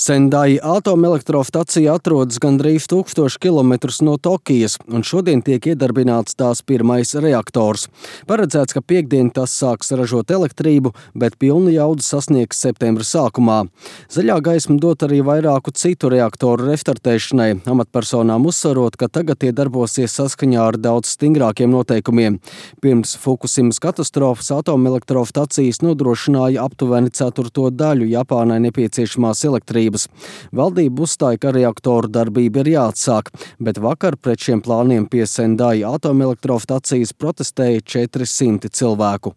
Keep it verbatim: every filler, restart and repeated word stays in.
Sendai atomelektrostacija atrodas gandrīz tūkstošu kilometrus no Tokijas, un šodien tiek iedarbināts tās pirmais reaktors. Paredzēts, ka piektdien tas sāks ražot elektrību, bet pilnu jaudu sasniegs septembra sākumā. Zaļā gaisma dot arī vairāku citu reaktoru restartēšanai, amatpersonām uzsverot, ka tagad tie darbosies saskaņā ar daudz stingrākiem noteikumiem. Pirms Fukusimas katastrofas atomelektrostacijas nodrošināja aptuveni ceturto daļu Japānai nepieciešamās elektrības. Valdība uzstāja, ka reaktoru darbība ir jāatsāk, bet vakar pret šiem plāniem pie Sendai atomelektrostacijas protestēja četri simti cilvēku.